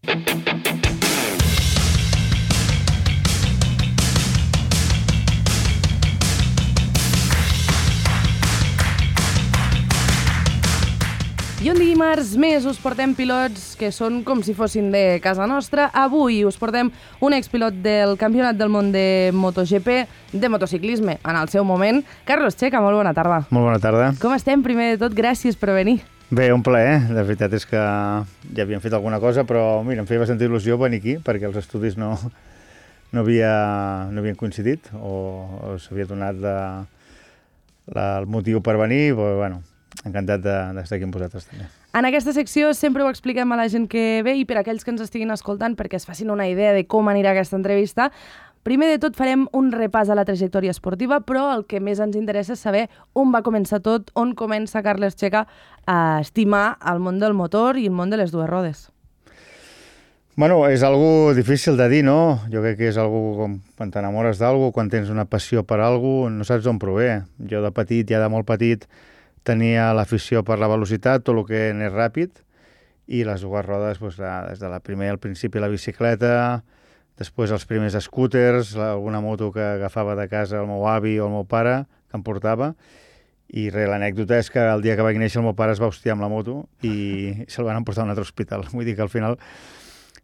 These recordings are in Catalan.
I un dimarts més us portem pilots que són com si fossin de casa nostra. Avui us portem un expilot del Campionat del Món de MotoGP, de motociclisme, en el seu moment. Carlos Checa, molt bona tarda. Molt bona tarda. Com estem? Primer de tot, gràcies per venir. Bé, un plaer. La veritat és que ja havíem fet alguna cosa, però mira, em feia bastanta il·lusió venir aquí, perquè els estudis no havien coincidit, o s'havia donat el motiu per venir, però bueno, encantat d'estar aquí amb vosaltres també. En aquesta secció sempre ho expliquem a la gent que ve i per a aquells que ens estiguin escoltant perquè es facin una idea de com anirà aquesta entrevista. Primer de tot farem un repàs a la trajectòria esportiva, però el que més ens interessa és saber on va començar tot, on comença Carles Checa a estimar el món del motor i el món de les dues rodes. Bueno, és algo difícil de dir, no? Jo crec que és algo com quan t'enamores d'algo, quan tens una passió per algo, no saps d'on prové. Jo de petit, ja de molt petit, tenia l'afició per la velocitat, tot el que anés ràpid, i les dues rodes, doncs, des de al principi la bicicleta, després els primers scooters, alguna moto que agafava de casa el meu avi o el meu pare, que em portava, i l'anècdota és que el dia que vaig néixer el meu pare es va hostiar amb la moto i se'l van emportar a un altre hospital. Vull dir que al final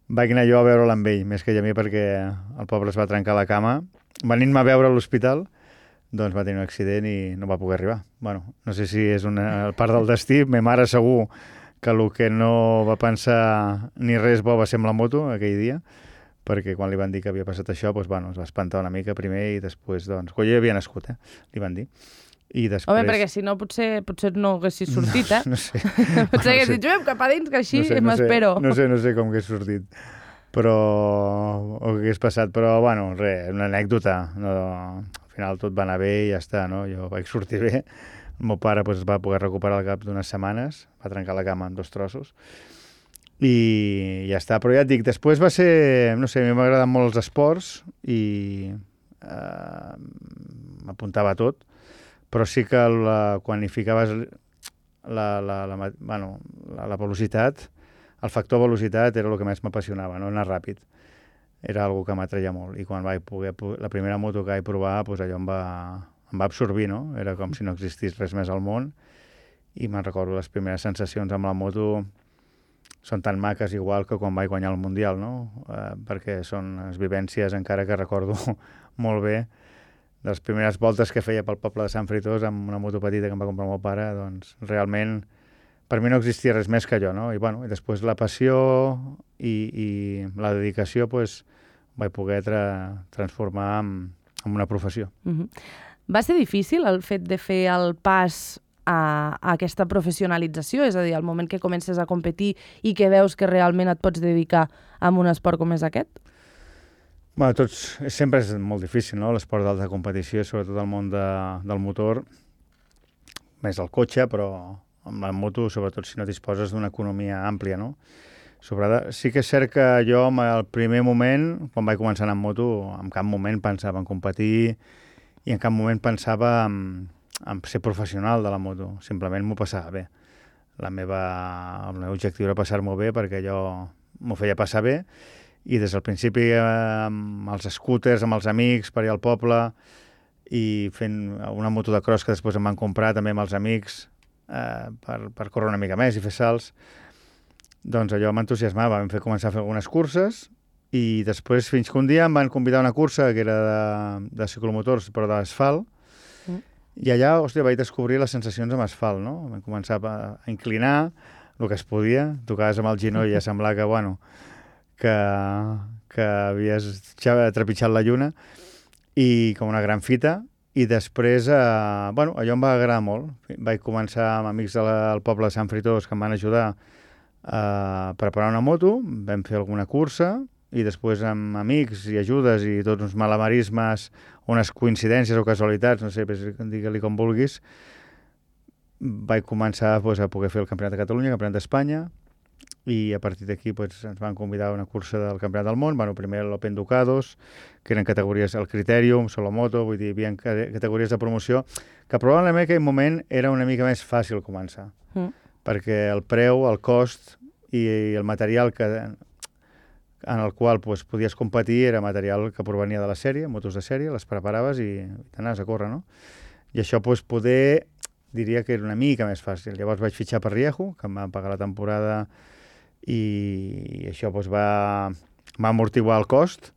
vaig anar jo a veure'l amb ell, més que ell a mi, perquè el pobre es va trencar la cama. Venint-me a veure a l'hospital, doncs va tenir un accident i no va poder arribar. Bueno, no sé si és una part del destí. Ma mare segur que el que no va pensar ni res bo va ser amb la moto aquell dia, perquè quan li van dir que havia passat això, doncs, bueno, es va espantar una mica primer i després, doncs, quan jo havia nascut, li van dir. I després... Home, perquè si no, potser no haguessis sortit, eh? No sé. Potser haguessis dit, juguem cap a dins, que així m'espero. No sé com hagués sortit, però... o què hagués passat, però, bueno, res, una anècdota. No... Al final tot va anar bé i ja està, no? Jo vaig sortir bé. El meu pare es va poder recuperar al cap d'unes setmanes, va trencar la cama en 2 trossos, i ja està. Però ja et dic, després va ser... No sé, a mi m'agraden molt els esports i m'apuntava a tot, però sí que quan hi ficaves la velocitat, el factor velocitat era el que més m'apassionava, no anar ràpid. Era algo que m'atreia molt, i quan vaig poder... La primera moto que vaig provar, doncs allò em va absorbir, no? Era com si no existís res més al món, i me'n recordo les primeres sensacions amb la moto són tan maques igual que quan vaig guanyar el Mundial, no? Perquè són les vivències encara que recordo molt bé de les primeres voltes que feia pel poble de Sant Fruitós amb una moto petita que em va comprar el meu pare, doncs realment per mi no existia res més que allò, no? I, bueno, i després la passió i la dedicació, doncs, vaig poder transformar en una professió. Va ser difícil el fet de fer el pas a aquesta professionalització? És a dir, al moment que comences a competir i que veus que realment et pots dedicar a un esport com és aquest? Bueno, sempre és molt difícil, no?, l'esport d'alta competició, sobretot el món del motor, més el cotxe, però amb la moto, sobretot si no disposes d'una economia àmplia, no? Sí que és cert que jo, al primer moment, quan vaig començar a anar amb moto, en cap moment pensava en competir i en cap moment pensava en ser professional de la moto. Simplement m'ho passava bé. El meu objectiu era passar-m'ho bé perquè jo m'ho feia passar bé, i des del principi amb els scooters, amb els amics, per allà al poble, i fent una moto de cross que després em van comprar també amb els amics per córrer una mica més i fer salts, doncs allò m'entusiasmava. Vam començar a fer algunes curses i després fins que un dia em van convidar a una cursa que era de ciclomotors però d'asfalt, i allà, hòstia, vaig descobrir les sensacions amb asfalt, no? Vam començar a inclinar el que es podia, tocaves amb el ginoll i ja semblava que, bueno, que havies trepitjat la lluna, i com una gran fita. I després, bueno, allò em va agradar molt. Vaig començar amb amics del poble de Sant Fruitós que em van ajudar a preparar una moto, vam fer alguna cursa, i després amb amics i ajudes i tots uns malabarismes, unes coincidències o casualitats, no sé, digue-li com vulguis, vaig començar a poder fer el Campionat de Catalunya, el Campionat d'Espanya, i a partir d'aquí ens van convidar a una cursa del Campionat del Món, bueno, primer l'Open Ducados, que eren categories el Criterium, Solomoto, vull dir, hi havia categories de promoció, que probablement en aquell moment era una mica més fàcil començar, perquè el preu, el cost i el material que en el qual doncs, podies competir, era material que provenia de la sèrie, motos de sèrie, les preparaves i t'anaves a córrer, no? I això doncs, poder, diria que era una mica més fàcil. Llavors vaig fitxar per Rieju, que em van pagar la temporada, i això doncs, va amortiguar el cost,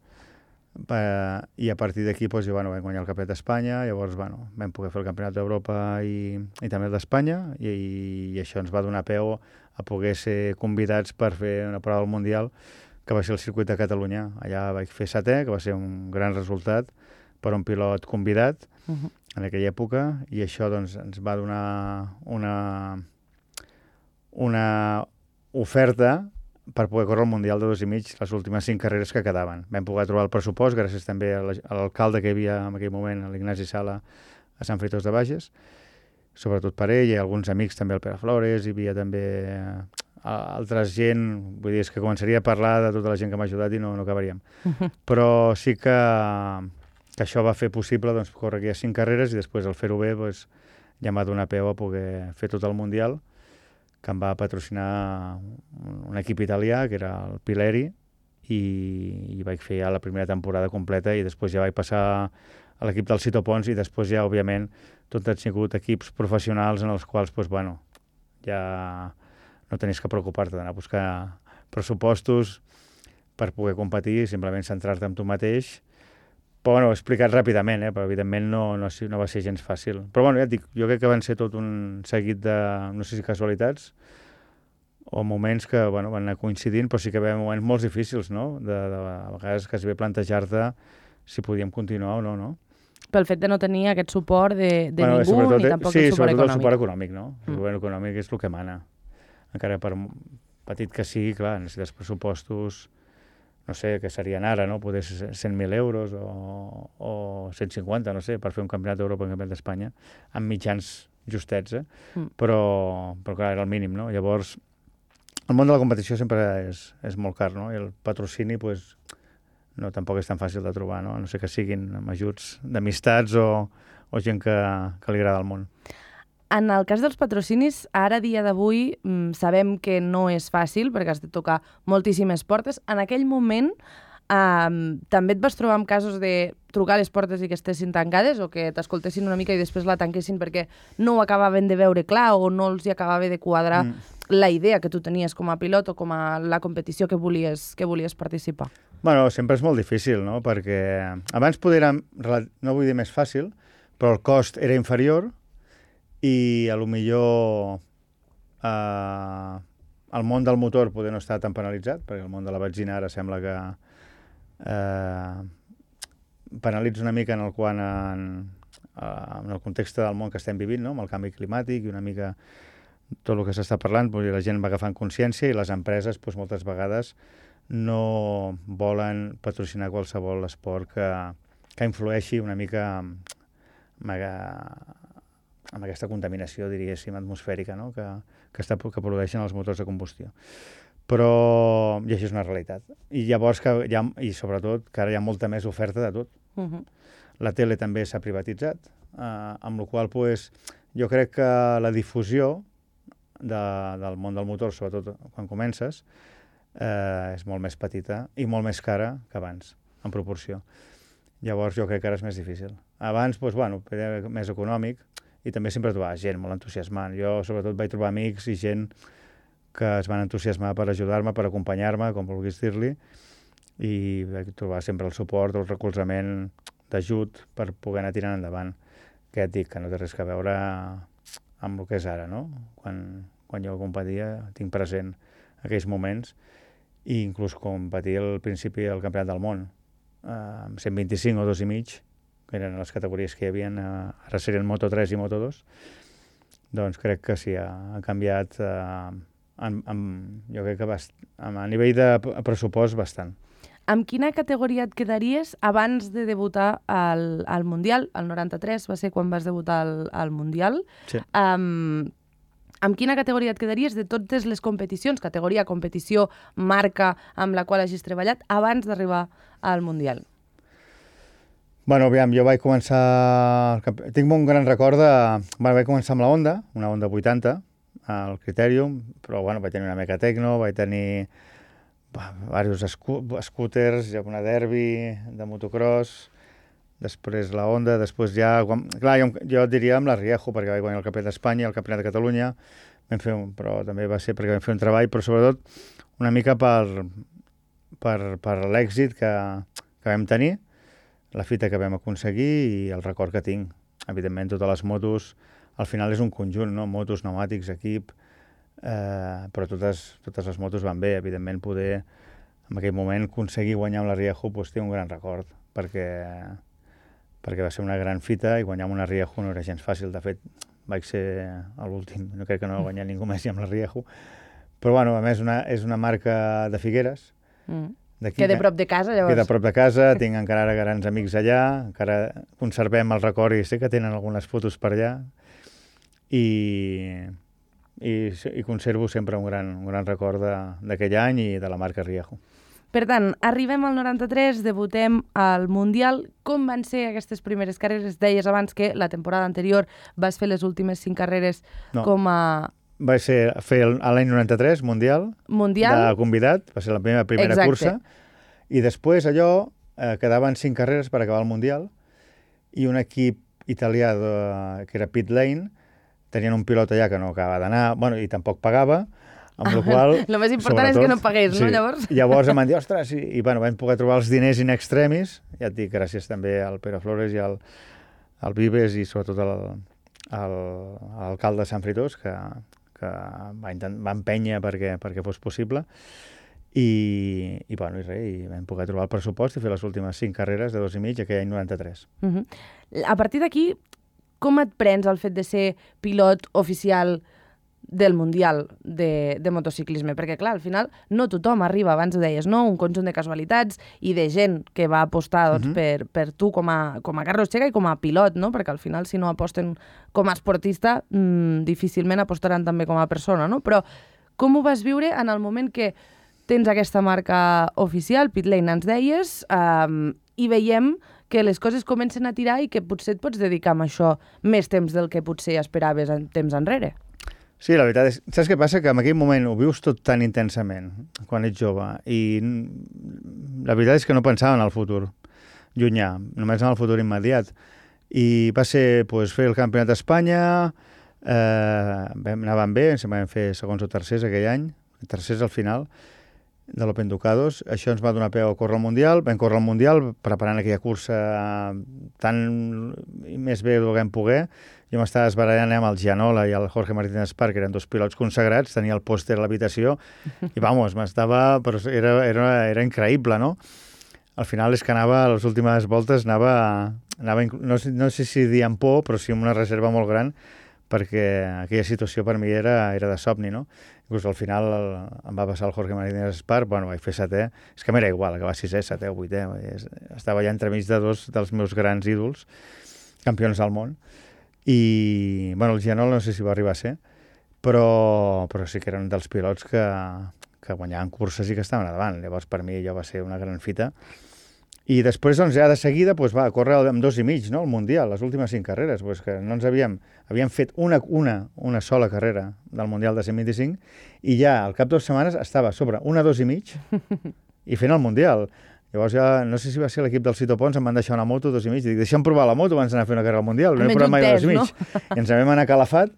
i a partir d'aquí doncs, vam guanyar el Campionat d'Espanya, llavors vam poder fer el Campionat d'Europa i també el d'Espanya, i això ens va donar peu a poder ser convidats per fer una prova del Mundial, que va ser el circuit de Catalunya. Allà vaig fer setè, que va ser un gran resultat per un pilot convidat en aquella època, i això doncs, ens va donar una oferta per poder córrer el Mundial de 2,5 les últimes 5 carreres que quedaven. Vam poder trobar el pressupost gràcies també a l'alcalde que hi havia en aquell moment, l'Ignasi Sala, a Sant Fruitós de Bages, sobretot per ell, i alguns amics també, el Pere Flores, hi havia també altra gent, vull dir, és que començaria a parlar de tota la gent que m'ha ajudat i no acabaríem. Però sí que això va fer possible doncs, córrer aquelles 5 carreres i després el fer-ho bé doncs, ja m'ha donat peu a poder fer tot el Mundial, que em va patrocinar un equip italià, que era el Pileri, i vaig fer ja la primera temporada completa i després ja vaig passar a l'equip del Cito Pons i després ja, òbviament, tot han sigut equips professionals en els quals, doncs, bueno, ja no tenies que preocupar-te d'anar a buscar pressupostos per poder competir, simplement centrar-te en tu mateix. Però, bueno, ho he explicat ràpidament, però evidentment no va ser gens fàcil. Però, bueno, ja et dic, jo crec que van ser tot un seguit de, no sé si casualitats, o moments que, bueno, van anar coincidint, però sí que hi havia moments molt difícils, no? A vegades quasi bé plantejar-te si podíem continuar o no? Pel fet de no tenir aquest suport de ningú, ni tampoc el suport econòmic. Sí, sobretot el suport econòmic, no? El suport econòmic és el que mana. Encara per petit que sigui, clar, necessites pressupostos, no sé, què serien ara, no? Poder ser 100.000 euros o 150, no sé, per fer un campionat d'Europa i un campionat d'Espanya, amb mitjans justets, però clar, era el mínim, no? Llavors, el món de la competició sempre és molt car, no? I el patrocini, doncs, no, tampoc és tan fàcil de trobar, no? A no ser que siguin amb ajuts d'amistats o gent que li agrada el món. En el cas dels patrocinis, ara, dia d'avui, sabem que no és fàcil, perquè has de tocar moltíssimes portes. En aquell moment, també et vas trobar amb casos de trucar a les portes i que estessin tancades, o que t'escoltessin una mica i després la tanquessin perquè no ho acabaven de veure clar o no els hi acabava de quadrar la idea que tu tenies com a pilot o com a la competició que volies participar? Bueno, sempre és molt difícil, no? Perquè abans era, no vull dir més fàcil, però el cost era inferior, i a lo millor el món del motor poder no estar tan penalitzat, perquè el món de la benzina ara sembla que penalitza una mica en el context del món que estem vivint, no? Amb el canvi climàtic i una mica tot el que s'està parlant, la gent va agafant consciència i les empreses moltes vegades no volen patrocinar qualsevol esport que influeixi una mica amb aquesta contaminació, diríem, atmosfèrica, no? que produeixen els motors de combustió. Però, i això és una realitat. I llavors, i sobretot, que ara hi ha molta més oferta de tot. La tele també s'ha privatitzat, amb la qual cosa jo crec que la difusió del món del motor, sobretot quan comences, és molt més petita i molt més cara que abans, en proporció. Llavors jo crec que ara és més difícil. Abans, bueno, era més econòmic, i també sempre trobava gent molt entusiasmant. Jo, sobretot, vaig trobar amics i gent que es van entusiasmar per ajudar-me, per acompanyar-me, com vulguis dir-li, i vaig trobar sempre el suport, el recolzament d'ajut per poder anar tirant endavant. Que et dic que no té res a veure amb el que és ara, no? Quan jo competia, tinc present aquells moments, i inclús competir al principi del Campionat del Món, amb 125 o 2,5, que eren les categories que hi havia, ara serien Moto3 i Moto2, doncs crec que sí, ha canviat, jo crec que a nivell de pressupost bastant. Amb quina categoria et quedaries abans de debutar al Mundial? El 93 va ser quan vas debutar al Mundial. Sí. Amb quina categoria et quedaries de totes les competicions, categoria, competició, marca amb la qual hagis treballat, abans d'arribar al Mundial? Bueno, aviam, jo vaig començar... Tinc un gran record de... Vaig començar amb la Honda, una Honda 80, al Criterium, però bueno, vaig tenir una Meca Tecno, vaig diversos scooters, ja una derbi de motocross, després la Honda, després ja... Clar, jo diria amb la Riejo, perquè vaig guanyar el Campionat d'Espanya, el Campionat de Catalunya, però també va ser perquè vam fer un treball, però sobretot una mica per l'èxit que vam tenir, la fita que vam aconseguir i el record que tinc. Evidentment, totes les motos, al final és un conjunt, no? Motos, pneumàtics, equip, però totes les motos van bé. Evidentment, poder en aquell moment aconseguir guanyar amb la Riejo té un gran record, perquè va ser una gran fita i guanyar amb una Riejo no era gens fàcil. De fet, vaig ser l'últim, no crec que no guanyar ningú més amb la Riejo. Però, bueno, a més, és una marca de Figueres. Queda a prop de casa, llavors. Queda a prop de casa, tinc encara grans amics allà, encara conservem el record i sé que tenen algunes fotos per allà i conservo sempre un gran record d'aquell any i de la marca Riejo. Per tant, arribem al 93, debutem al Mundial. Com van ser aquestes primeres carreres? Deies abans que la temporada anterior vas fer les últimes 5 carreres com a... Va ser fer l'any 93, Mundial, de convidat, va ser la primera cursa, i després allò quedaven 5 carreres per acabar el Mundial, i un equip italià que era Pit Lane, tenien un pilot allà que no acabava d'anar, i tampoc pagava, amb la qual... El més important és que no pagués, no, llavors? Llavors em van dir, ostres, i vam poder trobar els diners in extremis, ja et dic, gràcies també al Pere Flores i al Vives i sobretot a l'alcalde de Sant Fritós, que va empènyer perquè fos possible, i vam poder trobar el pressupost i fer les últimes 5 carreres de 2,5 aquell any 93. A partir d'aquí, com et prens el fet de ser pilot oficial del Mundial de motociclisme? Perquè, clar, al final no tothom arriba, abans ho deies, no? Un conjunt de casualitats i de gent que va apostar per tu com a Carlos Checa i com a pilot, no? Perquè al final, si no aposten com a esportista, difícilment apostaran també com a persona, no? Però com ho vas viure en el moment que tens aquesta marca oficial, Pit Lane ens deies, i veiem que les coses comencen a tirar i que potser et pots dedicar a això més temps del que potser esperaves temps enrere? Sí, la veritat és... Saps què passa? Que en aquell moment ho vius tot tan intensament, quan ets jove, i la veritat és que no pensava en el futur llunyà, només en el futur immediat. I va ser fer el Campionat d'Espanya, anàvem bé, ens vam fer segons o tercers aquell any, tercers al final, de l'Open Ducados. Això ens va donar peu a córrer al Mundial. Vam córrer al Mundial preparant aquella cursa tan més bé del que vam poder. Jo m'estava esbarallant amb el Gianola i el Jorge Martínez Espar, que eren 2 pilots consagrats, tenia el pòster a l'habitació i, però era increïble, no? Al final és que a les últimes voltes anava no sé si dir amb por, però sí amb una reserva molt gran, perquè aquella situació per mi era de somni, no? Inclús al final em va passar el Jorge Martínez Espar, vaig fer 7è, és que m'era igual, acabar 6è, 7è o 8è, estava allà entremig de 2 dels meus grans ídols, campions del món, i el Gianol no sé si va arribar a ser, però sí que eren dels pilots que guanyaven curses i que estaven a davant. Llavors per mi allò va ser una gran fita. I després, ja de seguida, va córrer amb 2,5, no?, el Mundial, les últimes 5 carreres, que no ens havíem fet una sola carrera del Mundial de 125 i ja al cap de 2 setmanes estava a sobre una 2,5 i fent el Mundial. Llavors ja, no sé si va ser l'equip del Cito Pons, em van deixar una moto 2,5, dic, deixa'm provar la moto abans d'anar a fer una carrera al Mundial, no he provat mai 2,5. No? I ens vam anar a Calafat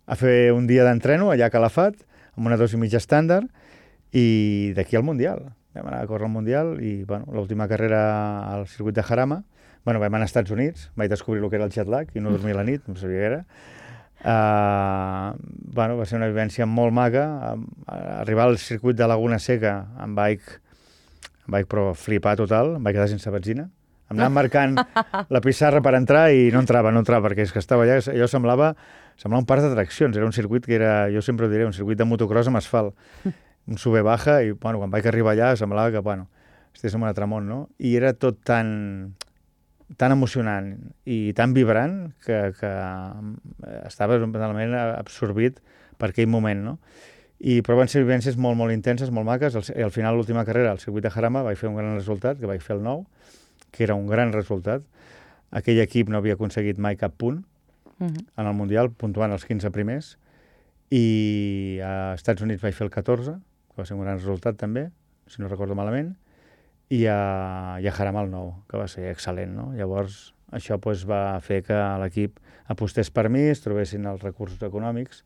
a fer un dia d'entreno allà a Calafat, amb una 2,5 estàndard, i d'aquí al Mundial. Vam anar a córrer al Mundial i l'última carrera al circuit de Jarama, vam anar als Estats Units, vaig descobrir el que era el jet lag i no dormia la nit, no sabia què era. Va ser una vivència molt maca. Arribar al circuit de Laguna Seca em vaig però flipar total, em vaig quedar sense benzina. Em anaven marcant la pissarra per entrar i no entrava, perquè és que estava allà, allò semblava un parc d'atraccions, era un circuit que era, jo sempre ho diré, un circuit de motocross amb asfalt. Un sube-baja i, quan vaig arribar allà semblava que, estigués en un altre món, no? I era tot tan emocionant i tan vibrant que estava totalment absorbit per aquell moment, no? Però van ser vivències molt, molt intenses, molt maques. Al final, l'última carrera, al circuit de Jarama, vaig fer un gran resultat, que vaig fer el 9, que era un gran resultat. Aquell equip no havia aconseguit mai cap punt en el Mundial, puntuant els 15 primers, i a Estats Units vaig fer el 14, que va ser un gran resultat també, si no recordo malament, i a Jarama el 9, que va ser excel·lent, no? Llavors, això doncs, va fer que l'equip apostés per mi, es trobessin els recursos econòmics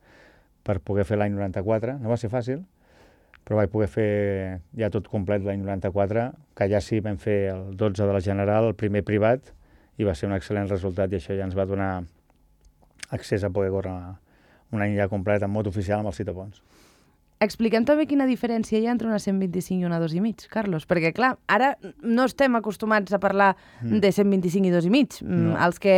per poder fer l'any 94. No va ser fàcil, però vaig poder fer ja tot complet l'any 94, que ja sí vam fer el 12 de la General, el primer privat, i va ser un excel·lent resultat, i això ja ens va donar accés a poder córrer un any ja complet en moto oficial amb els citapons. Expliquem també quina diferència hi ha entre una 125 i una 2,5, Carlos, perquè, clar, ara no estem acostumats a parlar de 125 i 2,5. No. Els que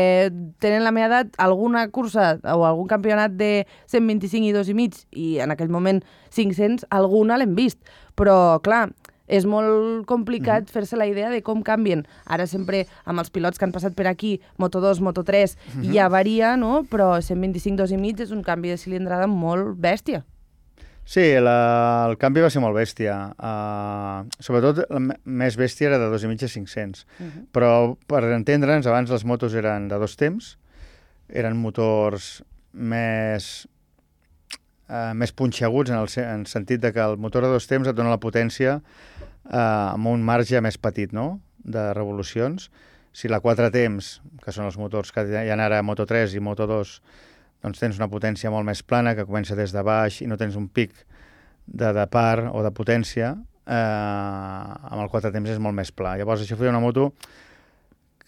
tenen la meva edat, alguna cursa o algun campionat de 125 i 2,5 i en aquell moment 500, alguna l'hem vist. Però, clar, és molt complicat fer-se la idea de com canvien. Ara sempre, amb els pilots que han passat per aquí, Moto2, Moto3, ja varia, no? Però 125, 2,5 és un canvi de cilindrada molt bèstia. Sí, el canvi va ser molt bèstia. Sobretot, la més bèstia era de 2,5 a 500. Però, per entendre'ns, abans les motos eren de 2 temps, eren motors més punxeguts en el sentit de que el motor de 2 temps et dona la potència amb un marge més petit, no?, de revolucions. Si la 4 temps, que són els motors que hi ha ara a Moto3 i Moto2, doncs tens una potència molt més plana, que comença des de baix i no tens un pic de par o de potència, amb el 4 temps és molt més pla. Llavors això feia una moto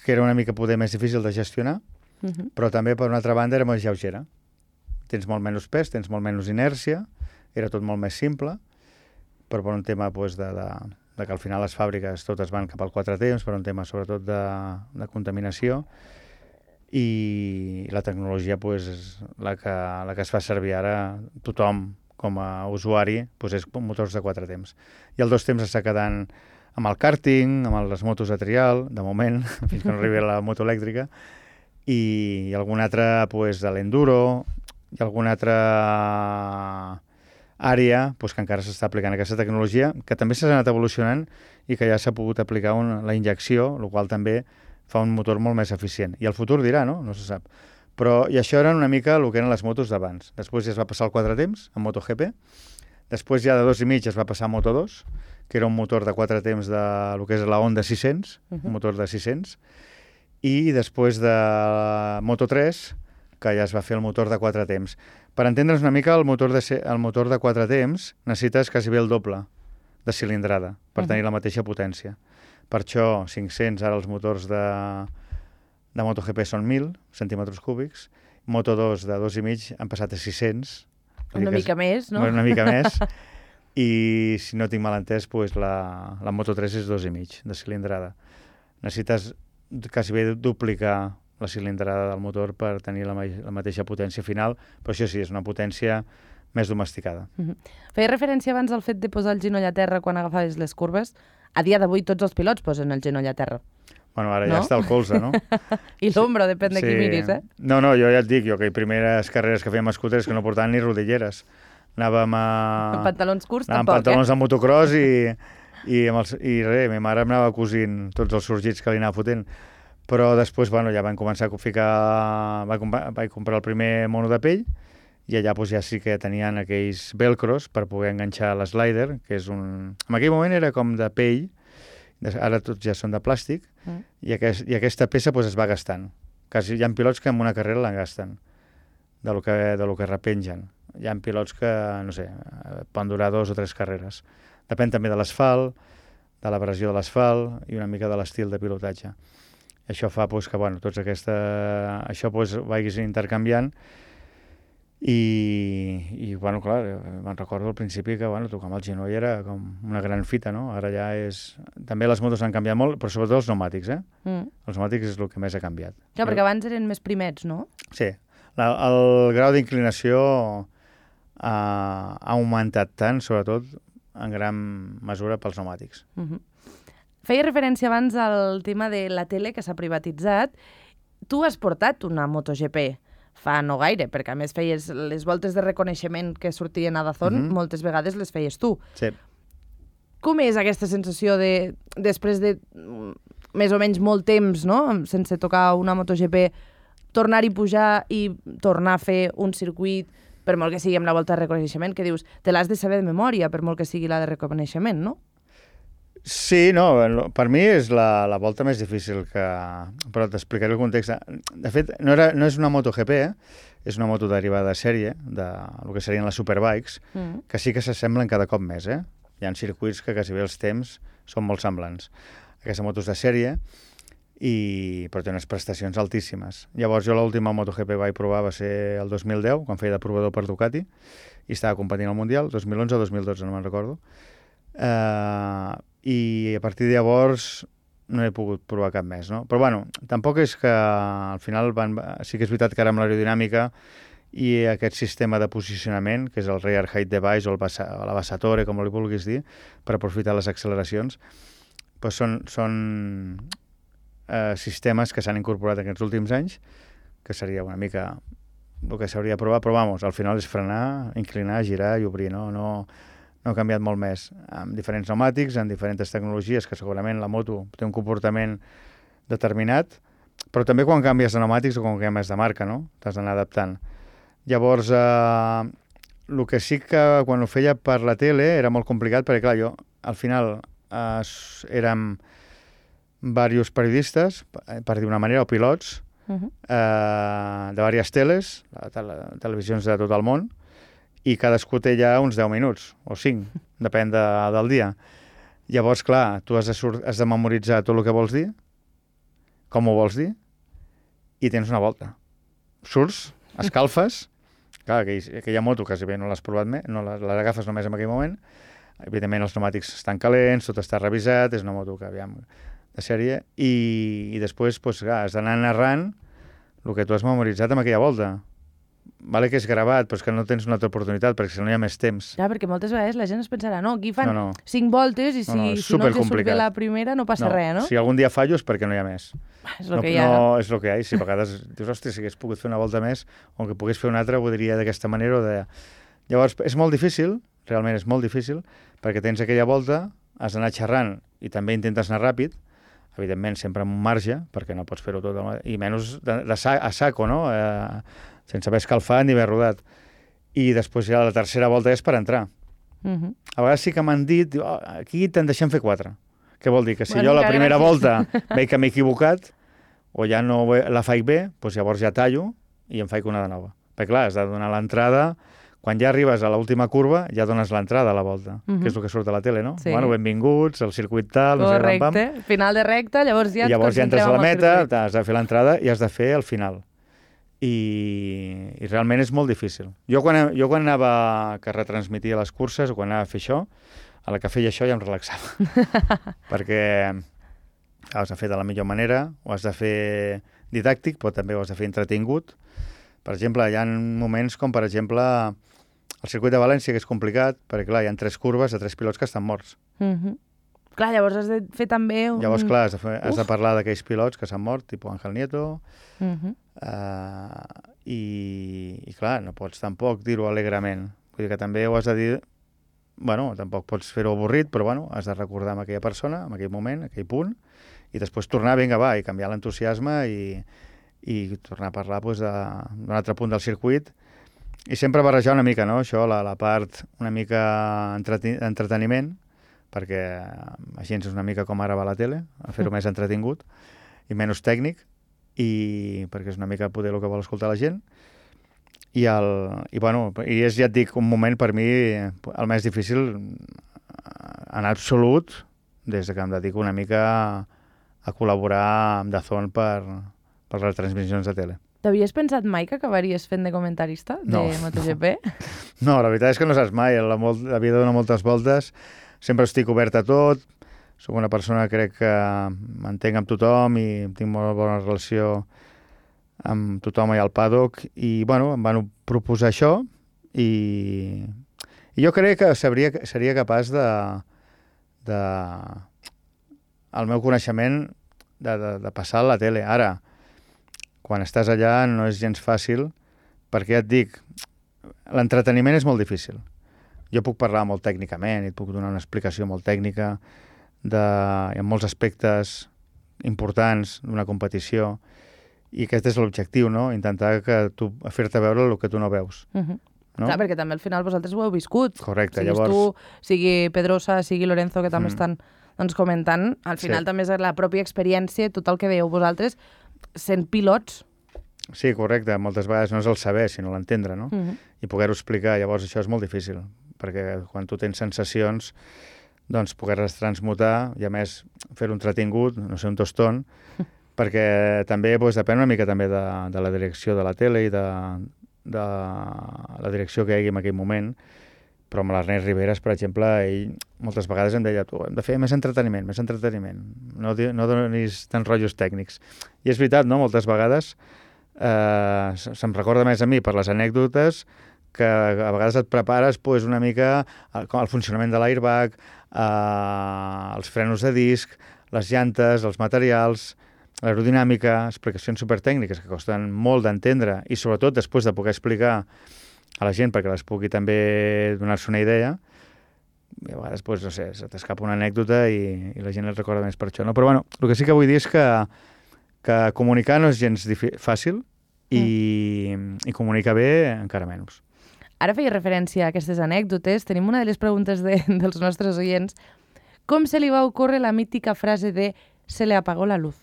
que era una mica poder més difícil de gestionar, però també, per una altra banda, era més lleugera. Tens molt menys pes, tens molt menys inèrcia, era tot molt més simple, però per un tema doncs, de que al final les fàbriques totes van cap al 4 temps, per un tema sobretot de contaminació, i la tecnologia és la que es fa servir ara tothom com a usuari, és motors de 4 temps. I el 2 temps està quedant amb el karting, amb les motos de trial, de moment, fins que no arribi la moto elèctrica, i algun altre de l'enduro, i alguna altra àrea que encara s'està aplicant aquesta tecnologia, que també s'ha anat evolucionant i que ja s'ha pogut aplicar la injecció, el qual també fa un motor molt més eficient. I el futur dirà, no? No se sap. I això eren una mica el que eren les motos d'abans. Després ja es va passar al 4 temps, en MotoGP. Després ja de 2,5 es va passar a Moto2, que era un motor de 4 temps de lo que és la Honda 600, un motor de 600. I després de Moto3, que ja es va fer el motor de 4 temps. Per entendre's una mica, el motor de 4 temps necessites quasi bé el doble de cilindrada per tenir la mateixa potència. Per això, 500, ara els motors de MotoGP són 1.000 centímetres cúbics, Moto2 de 2,5 han passat a 600. Una mica més, no? Una mica més. I, si no tinc mal entès, la Moto3 és 2,5 de cilindrada. Necessites quasi bé duplicar la cilindrada del motor per tenir la mateixa potència final, però això sí, és una potència més domesticada. Feia referència abans al fet de posar el genoll a terra quan agafaves les curves. A dia d'avui tots els pilots posen el genoll a terra. Bueno, ara ja està el colze, no? I l'ombra, depèn de qui miris, eh? No, jo ja et dic, que les primeres carreres que fèiem a scooters que no portaven ni rodilleres. Anàvem amb pantalons curts, tampoc, amb pantalons de motocross i ma mare m'anava cosint tots els sorgits que li anava fotent. Però després, ja van començar a ficar... Vaig comprar el primer mono de pell i allà ja sí que tenien aquells velcros per poder enganxar l'slider, que és un... En aquell moment era com de pell, ara tots ja són de plàstic, i aquesta peça es va gastant. Quasi hi ha pilots que en una carrera la gasten, de lo que repengen. Hi ha pilots que, no sé, poden durar 2 o 3 carreres. Depèn també de l'asfalt, de la pressió de l'asfalt i una mica de l'estil de pilotatge. Això fa que, això vagis intercanviant. I clar, me'n recordo al principi que tocar amb el genoll era com una gran fita, no? Ara ja és... També les motos han canviat molt, però sobretot els pneumàtics, eh? Els pneumàtics és el que més ha canviat. Clar, perquè abans eren més primets, no? Sí. El grau d'inclinació ha augmentat tant, sobretot en gran mesura pels pneumàtics. Feia referència abans al tema de la tele que s'ha privatitzat. Tu has portat una MotoGP fa no gaire, perquè a més feies les voltes de reconeixement que sortien a Dazón, moltes vegades les feies tu. Sí. Com és aquesta sensació de, després de més o menys molt temps, no?, sense tocar una MotoGP, tornar-hi pujar i tornar a fer un circuit, per molt que sigui amb la volta de reconeixement, que dius, te l'has de saber de memòria, per molt que sigui la de reconeixement, no? Sí, no, per mi és la volta més difícil que... Però t'explicaré el context. De fet, no és una MotoGP, és una moto derivada de sèrie, el que serien les Superbikes, que sí que s'assemblen cada cop més, Hi ha circuits que quasi bé els temps són molt semblants. Aquesta moto és de sèrie, però té unes prestacions altíssimes. Llavors jo l'última MotoGP vaig provar va ser el 2010, quan feia de provador per Ducati, i estava competint al Mundial, 2011 o 2012, no me'n recordo. I a partir de llavors no he pogut provar cap més, no? Però bueno, tampoc és que al final sí que és veritat que ara amb l'aerodinàmica i aquest sistema de posicionament, que és el rear height device o la basatore, com li vulguis dir, per aprofitar les acceleracions, doncs són sistemes que s'han incorporat en aquests últims anys, que seria una mica el que s'hauria de provar, però vamos, al final és frenar, inclinar, girar i obrir, no ha canviat molt més, amb diferents pneumàtics, amb diferents tecnologies, que segurament la moto té un comportament determinat, però també quan canvies de pneumàtics o quan canvies de marca, no? T'has d'anar adaptant. Llavors, el que sí que quan ho feia per la tele era molt complicat, perquè clar, jo al final érem diversos periodistes, per dir una manera, o pilots, de diverses teles, televisions de tot el món, i cadascú té ja uns 10 minuts, o 5, depèn del dia. Llavors, clar, tu has de memoritzar tot el que vols dir, com ho vols dir, i tens una volta. Surts, escalfes, clar, aquella moto quasi bé no l'has provat més, no les agafes només en aquell moment, evidentment els pneumàtics estan calents, tot està revisat, és una moto que, aviam, de sèrie, i després, doncs, clar, has d'anar narrant el que tu has memoritzat en aquella volta. Vale que és gravat, però és que no tens una altra oportunitat, perquè si no hi ha més temps. Ja, perquè moltes vegades la gent es pensarà, no, aquí fan 5 voltes i si no els surt bé la primera no passa res, no? Si algun dia fallo és perquè no hi ha més. És el que hi ha. No, és el que hi ha, i si a vegades dius, hòstia, si hagués pogut fer una volta més, o que pogués fer una altra, ho diria d'aquesta manera o de... Llavors, és molt difícil, realment és molt difícil, perquè tens aquella volta, has d'anar xerrant i també intentes anar ràpid, evidentment sempre amb un marge, perquè no pots fer-ho tot, i menys a saco, no? Sense haver escalfat ni haver rodat. I després ja la tercera volta és per entrar. A vegades sí que m'han dit, aquí te'n deixem fer 4. Què vol dir? Que si jo la primera volta veig que m'he equivocat, o ja no la faig bé, doncs llavors ja tallo i em faig una de nova. Perquè clar, has de donar l'entrada. Quan ja arribes a l'última curva, ja dones l'entrada a la volta, que és el que surt a la tele, no? Sí. Bueno, benvinguts, el circuit tal, no sé, correcte, final de recta, llavors ja entres a la meta, has de fer l'entrada i has de fer el final. I realment és molt difícil. Jo quan anava que retransmitia les curses o quan anava a fer això, a la que feia això ja em relaxava. Perquè has de fer de la millor manera, ho has de fer didàctic, però també ho has de fer entretingut. Per exemple, hi ha moments com, per exemple, el circuit de València, que és complicat, perquè clar, hi ha 3 curves de 3 pilots que estan morts. Clar, llavors has de fer també un... Llavors, clar, has de parlar d'aquells pilots que s'han mort, tipus Ángel Nieto, i clar, no pots tampoc dir-ho alegrement. Vull dir que també ho has de dir... Bueno, tampoc pots fer-ho avorrit, però bueno, has de recordar amb aquella persona, en aquell moment, aquell punt, i després tornar, vinga, va, i canviar l'entusiasme i tornar a parlar doncs, d'un altre punt del circuit. I sempre barrejar una mica, no? Això, la part una mica entreteniment, perquè així és una mica com ara va la tele, a fer-ho més entretingut i menys tècnic, i perquè és una mica poder el que vol escoltar la gent. I és, ja et dic, un moment per mi el més difícil en absolut, des que em dedico una mica a col·laborar amb DAZN per les transmissions de tele. T'havies pensat mai que acabaries fent de comentarista de MotoGP? No, la veritat és que no saps mai. La vida dona moltes voltes. Sempre estic obert a tot. Soc una persona que crec que m'entenc amb tothom i tinc molt bona relació amb tothom i al paddock. I, bueno, em van proposar això i jo crec que seria capaç el meu coneixement de passar a la tele. Ara, quan estàs allà no és gens fàcil, perquè ja et dic, l'entreteniment és molt difícil. Jo puc parlar molt tècnicament i et puc donar una explicació molt tècnica en molts aspectes importants d'una competició, i aquest és l'objectiu, no? Intentar fer-te veure el que tu no veus. No? Clar, perquè també al final vosaltres ho heu viscut. Correcte, siguis llavors... tu, sigui Pedrosa, sigui Lorenzo, que també estan doncs, comentant. Al final també és la pròpia experiència, tot el que veieu vosaltres, sent pilots. Sí, correcte. Moltes vegades no és el saber, sinó l'entendre, no? I poder-ho explicar. Llavors això és molt difícil, perquè quan tu tens sensacions, doncs poder-les transmutar i a més fer-ho entretingut, no sé, un tostón, perquè també depèn una mica també de la direcció de la tele i de la direcció que hi hagi en aquell moment, però amb l'Ernest Riveras, per exemple, ell moltes vegades em deia, tu, hem de fer més entreteniment, no donis tants rotllos tècnics. I és veritat, no?, moltes vegades se'm recorda més a mi per les anècdotes que a vegades et prepares una mica el funcionament de l'airbag, els frenos de disc, les llantes, els materials, l'aerodinàmica, explicacions supertècniques que costen molt d'entendre i sobretot després de poder explicar a la gent perquè les pugui també donar-se una idea, i a vegades, no sé, se t'escapa una anècdota i la gent et recorda més per això, no? Però bueno, el que sí que vull dir és que comunicar no és gens fàcil i comunicar bé encara menys. Ara feia referència a aquestes anècdotes. Tenim una de les preguntes dels nostres oients. Com se li va ocórrer la mítica frase de «se le apagó la luz»?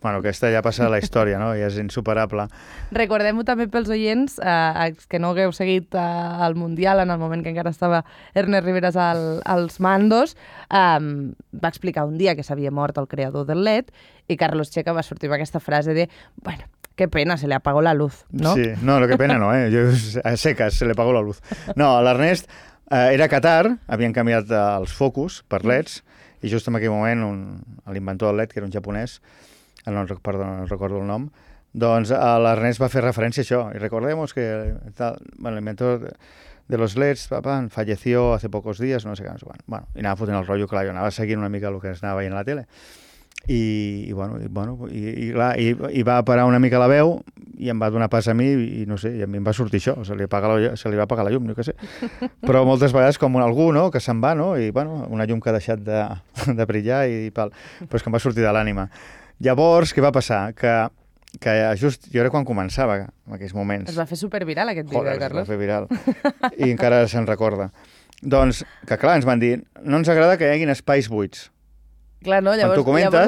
Bueno, aquesta ja passa a la història, no? Ja és insuperable. Recordem-ho també pels oients que no hagueu seguit el Mundial en el moment que encara estava Ernest Riveras als mandos. Va explicar un dia que s'havia mort el creador del LED i Carlos Checa va sortir amb aquesta frase de «bueno, qué pena, se le apagó la luz», no? Sí, no, qué pena no, a secas, se le apagó la luz. No, l'Ernest era a Qatar, havien canviat els focus per LEDs i just en aquell moment l'inventor del LED, que era un japonès, no recordo el nom, doncs l'Ernest va fer referència a això. Y recordemos que el inventor de los LEDs falleció hace pocos días, no sé què. Bueno, i anava fotent el rotllo, clar, jo anava seguint una mica el que es anava veient a la tele. I va parar una mica la veu i em va donar pas a mi i no sé, i a mi em va sortir això, se li va apagar la llum, no sé. Però moltes vegades com algú, no?, que se'n va, no?, i una llum que ha deixat de brillar però és que em va sortir de l'ànima. Llavors, què va passar? Que just jo era quan començava, en aquells moments. Es va fer superviral aquest vídeo, Carlos. Es va fer viral. I encara se'n recorda. Doncs, que clar, ens van dir, no ens agrada que hi haguin espais buits. Clar, no? Llavors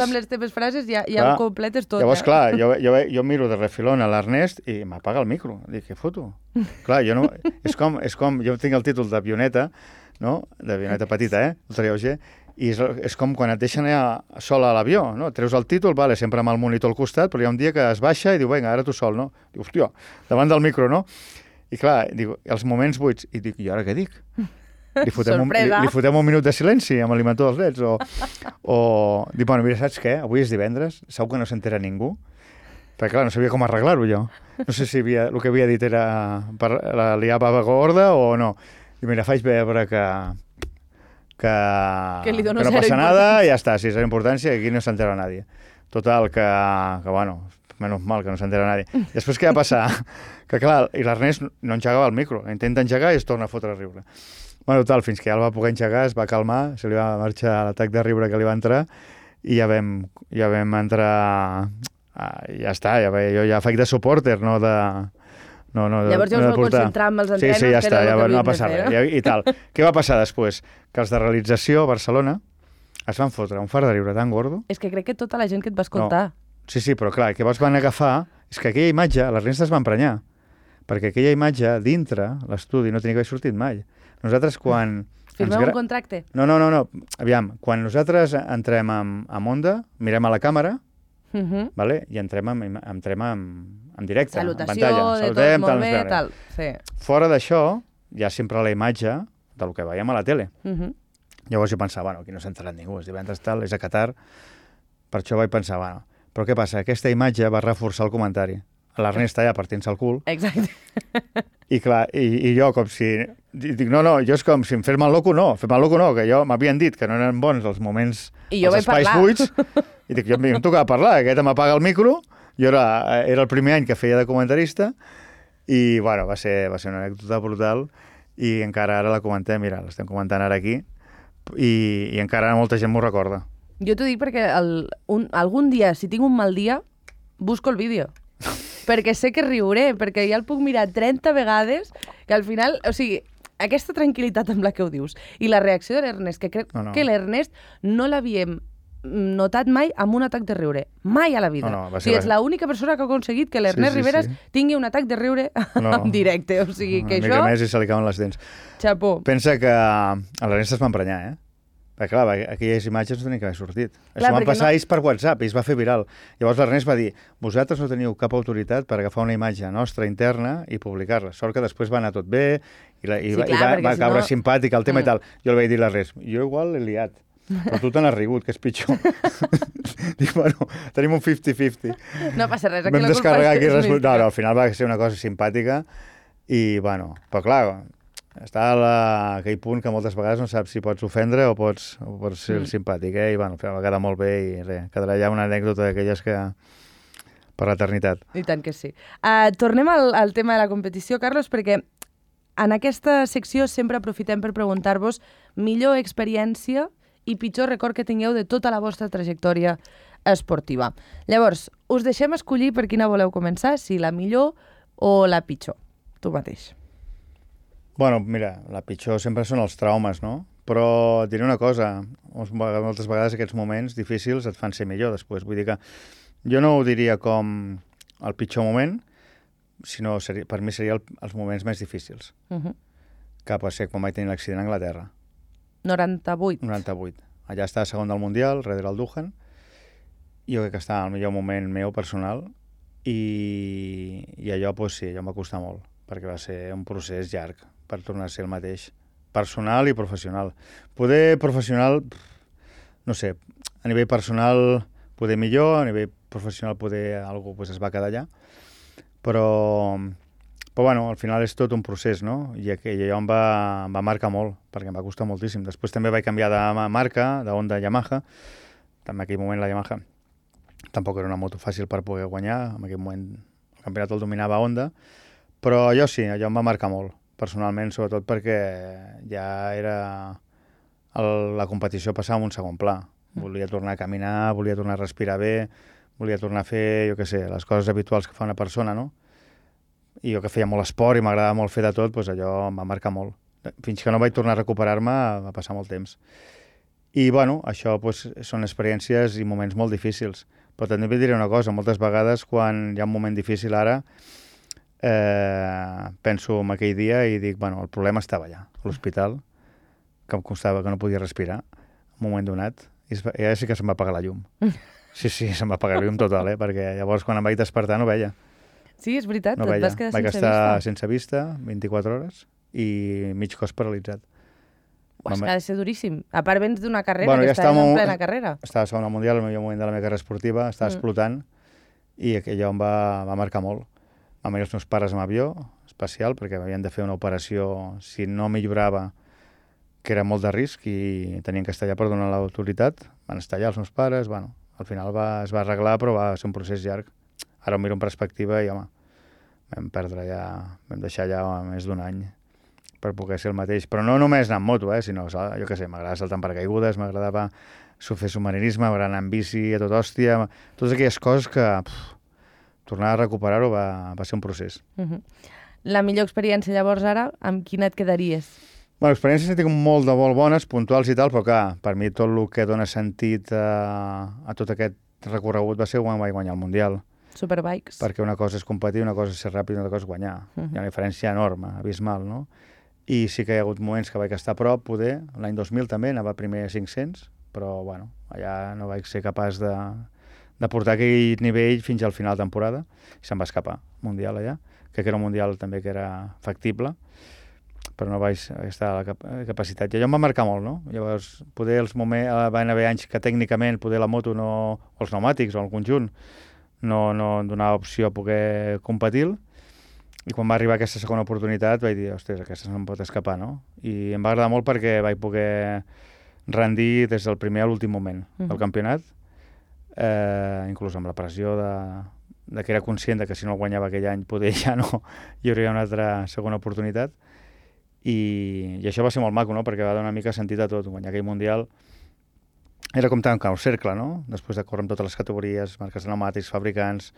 amb les teves frases ja ho completes tot. Llavors, clar, jo miro de refilón a l'Ernest i m'apaga el micro. Dic, què foto? Clar, jo no... És com... Jo tinc el títol d'avioneta, no? D'avioneta petita, ultralleuger, i és com quan et deixen allà sol a l'avió, no? Treus el títol, vale, sempre amb el monitor al costat, però hi ha un dia que es baixa i diu, vinga, ara tu sol, no? Diu, hòstia, davant del micro, no? I clar, diu, els moments buits. I dic, i ara què dic? Li fotem un minut de silenci amb l'inventor dels LEDs o dic, bueno, mira, saps què? Avui és divendres, segur que no s'entera ningú, perquè clar, no sabia com arreglar-ho jo. No sé si el que havia dit era per la liar bava gorda o no. I mira, faig veure que no passa nada i ja està, si és la importància, aquí no s'entera nadie. Total, que bueno, menys mal que no s'entera nadie. Després què va passar? Que clar, i l'Ernest no engegava el micro, intenta engegar i es torna a fotre a riure. Bueno, total, fins que ja el va poder engegar, es va calmar, se li va marxar l'atac de riure que li va entrar i ja vam entrar... ja està, jo ja faig de supporter, no de... Llavors ja us vau concentrar amb els entrenos, ja està, ja no va passar res. I tal. Què va passar després? Que els de realització a Barcelona es van fotre un far de riure tan gordo... És que crec que tota la gent que et va escoltar... Sí, però clar, què vols van agafar? És que aquella imatge, l'Ernest es va emprenyar, perquè aquella imatge dintre l'estudi no tenia que haver sortit mai. Nosaltres quan... Firmeu un contracte? No. Aviam, quan nosaltres entrem amb Onda, mirem a la càmera, vale? I entrem en directe, en pantalla. Salutem, molt bé, tal. Sí. Fora d'això, hi ha sempre la imatge del que veiem a la tele. Llavors jo pensava, bueno, aquí no s'ha enterat ningú, és divendres tal, és a Qatar. Per això vaig pensar, bueno, però què passa? Aquesta imatge va reforçar el comentari. L'Ernest allà partint-se el cul. Exacte. I clar, i jo com si... Dic, no, jo és com si em fes mal loco, no, que jo m'havien dit que no eren bons els moments, els espais buits, i dic, jo em tocava parlar, aquest m'apaga el micro, jo era el primer any que feia de comentarista, i bueno, va ser una anècdota brutal, i encara ara la comentem, mira, l'estem comentant ara aquí, i encara molta gent m'ho recorda. Jo t'ho dic perquè algun dia, si tinc un mal dia, busco el vídeo. Perquè sé que riuré, perquè ja el puc mirar 30 vegades, que al final, o sigui, aquesta tranquil·litat amb la que ho dius i la reacció de l'Ernest, que crec que l'Ernest no l'havíem notat mai amb un atac de riure. Mai a la vida. O sigui, és l'única persona que ha aconseguit que l'Ernest Riveras tingui un atac de riure en directe. O sigui, que això... Una mica més i se li cauen les dents. Xapó. Pensa que l'Ernest es va emprenyar, Perquè, clar, aquelles imatges no tenien que haver sortit. Això van passar ells per WhatsApp i es va fer viral. Llavors l'Ernest va dir, vosaltres no teniu cap autoritat per agafar una imatge nostra interna i publicar-la. Sort que després va anar tot bé i va caure simpàtic el tema i tal. Jo li vaig dir a l'Ernest, jo igual l'he liat, però tu te n'has rigut, que és pitjor. Dic, bueno, tenim un 50-50. No passa res, aquí la culpa és... No, al final va ser una cosa simpàtica i, bueno, però clar, està a aquell punt que moltes vegades no saps si pots ofendre o pots ser simpàtic, I, bueno, va quedar molt bé i res, quedarà ja una anècdota d'aquelles que... per l'eternitat. I tant que sí. Tornem al tema de la competició, Carlos, perquè en aquesta secció sempre aprofitem per preguntar-vos millor experiència i pitjor record que tingueu de tota la vostra trajectòria esportiva. Llavors, us deixem escollir per quina voleu començar, si la millor o la pitjor. Tu mateix. Bueno, mira, la pitjor sempre són els traumes, no? Però et diré una cosa, moltes vegades aquests moments difícils et fan ser millor després. Vull dir que jo no ho diria com el pitjor moment, sinó per mi seria els moments més difícils. Que pot ser quan vaig tenir l'accident a Anglaterra. 98. Allà estava segon del Mundial, darrere el Duhan. Jo crec que estava al millor moment meu personal i allò, doncs sí, allò em va costar molt, perquè va ser un procés llarg per tornar a ser el mateix, personal i professional. Poder professional, no sé, a nivell personal poder millor, a nivell professional poder algú es va quedar allà, però bueno, al final és tot un procés, no? I allò em va marcar molt, perquè em va costar moltíssim. Després també vaig canviar de marca, de Honda a Yamaha. En aquell moment la Yamaha tampoc era una moto fàcil per poder guanyar. En aquell moment el campionat el dominava Honda. Però allò sí, allò em va marcar molt, personalment, sobretot perquè ja era... la competició passava en un segon pla. Volia tornar a caminar, volia tornar a respirar bé, volia tornar a fer, jo què sé, les coses habituals que fa una persona, no? I jo que feia molt esport i m'agradava molt fer de tot, doncs allò em va marcar molt. Fins que no vaig tornar a recuperar-me va passar molt temps. I, bueno, això doncs, són experiències i moments molt difícils. Però també et diré una cosa, moltes vegades quan hi ha un moment difícil ara, penso en aquell dia i dic, bueno, el problema estava allà, a l'hospital, que em costava que no podia respirar, en un moment donat, i ja sí que se'm va apagar la llum. Sí, se'm va apagar la llum total, perquè llavors quan em vaig despertar no veia. Sí, és veritat, no et vas quedar sense vista. Vaig estar sense vista 24 hores i mig cos paralitzat. És que ha de ser duríssim. A part vens d'una carrera, que estaves en plena carrera. Estava segon al Mundial, el millor moment de la meva carrera esportiva, estava explotant i allò em va marcar molt. Van venir els meus pares amb avió especial perquè m'havien de fer una operació, si no millorava, que era molt de risc i tenien que estar allà per donar l'autoritat. Van estar allà els meus pares, bueno, al final es va arreglar, però va ser un procés llarg. Ara ho miro en perspectiva i, home, vam deixar ja més d'un any per poder ser el mateix. Però no només anar amb moto, sinó, jo què sé, m'agradava saltar en paracaigudes, m'agradava fer submarinisme, m'agradava anar en bici a tot hòstia, totes aquelles coses que tornar a recuperar-ho va ser un procés. La millor experiència llavors ara, amb quina et quedaries? Bueno, experiències tinc molt bones, puntuals i tal, però clar, per mi tot el que dona sentit a tot aquest recorregut va ser quan vaig guanyar el Mundial. Superbikes. Perquè una cosa és competir, una cosa és ser ràpid, una cosa és guanyar. Hi ha una diferència enorme, abismal, no? I sí que hi ha hagut moments que vaig estar a prop, poder. L'any 2000 també, anava primer a 500, però, bueno, allà no vaig ser capaç de portar aquell nivell fins al final de temporada. I se'm va escapar, Mundial allà. Crec que era un Mundial també que era factible, però no vaig estar a la capacitat. I allò em va marcar molt, no? Llavors, poder van haver anys que tècnicament poder la moto o els pneumàtics o el conjunt no donava opció a poder competir, i quan va arribar aquesta segona oportunitat vaig dir, ostres, aquesta no em pot escapar, no? I em va agradar molt perquè vaig poder rendir des del primer a l'últim moment del campionat, inclús amb la pressió de que era conscient de que si no el guanyava aquell any poder ja no hi hauria una altra segona oportunitat, i això va ser molt maco, no? Perquè va donar una mica sentit a tot. Guanyar aquell Mundial era com tancar un cercle, no? Després de córrer amb totes les categories, marques de pneumàtics, fabricants,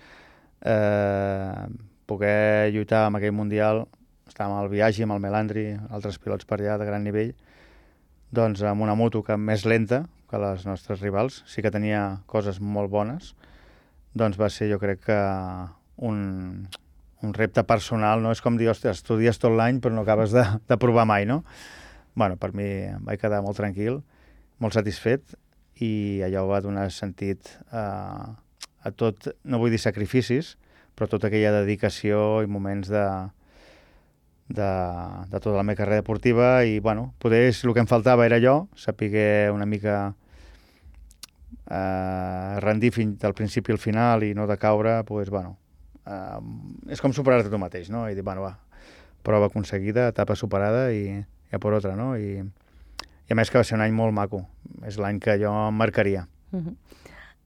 poder lluitar amb aquell Mundial estàvem al Biaggi, amb el Melandri, altres pilots per allà de gran nivell, doncs amb una moto més lenta que les nostres rivals, sí que tenia coses molt bones, doncs va ser, jo crec que, un repte personal, no? És com dir, ostres, estudies tot l'any però no acabes de provar mai, no? Bueno, per mi em vaig quedar molt tranquil, molt satisfet, i allò va donar sentit a tot, no vull dir sacrificis, però tota aquella dedicació i moments de tota la meva carrera deportiva, i bueno, poder el que em faltava era allò, saber una mica rendir fins del principi al final i no de caure, doncs, bueno, és com superar-te tu mateix, no? I dir, bueno, va, prova aconseguida, etapa superada i ja per altra, no? I a més que va ser un any molt maco, és l'any que jo em marcaria.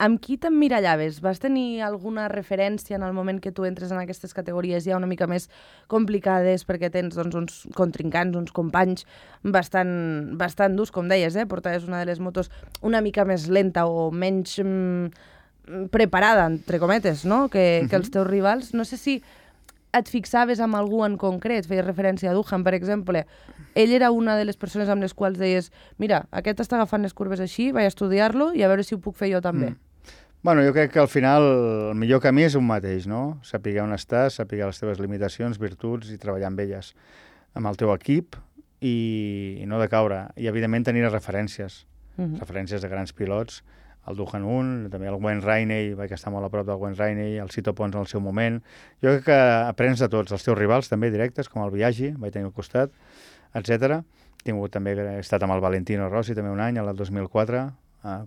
Amb qui t'emmirallaves? Vas tenir alguna referència en el moment que tu entres en aquestes categories ja una mica més complicades, perquè tens doncs, uns contrincants, uns companys bastant durs, com deies, portaves una de les motos una mica més lenta o menys preparada, entre cometes, no? que els teus rivals. No sé si et fixaves amb algú en concret, feies referència a Duhan, per exemple. Ell era una de les persones amb les quals deies, mira, aquest està agafant les curves així, vaig a estudiar-lo i a veure si ho puc fer jo també. Bueno, jo crec que al final el millor camí és un mateix, no? Saber on estàs, saber les teves limitacions, virtuts i treballar amb elles, amb el teu equip i no de caure. I, evidentment, tenir referències, referències de grans pilots, el Duhan 1, també el Wayne Rainey, vaig estar molt a prop del Wayne Rainey, el Sito Pons en el seu moment. Jo crec que aprens de tots, els teus rivals també directes, com el Biaggi, vaig tenir al costat, etc. També he estat amb el Valentino Rossi també un any, el 2004,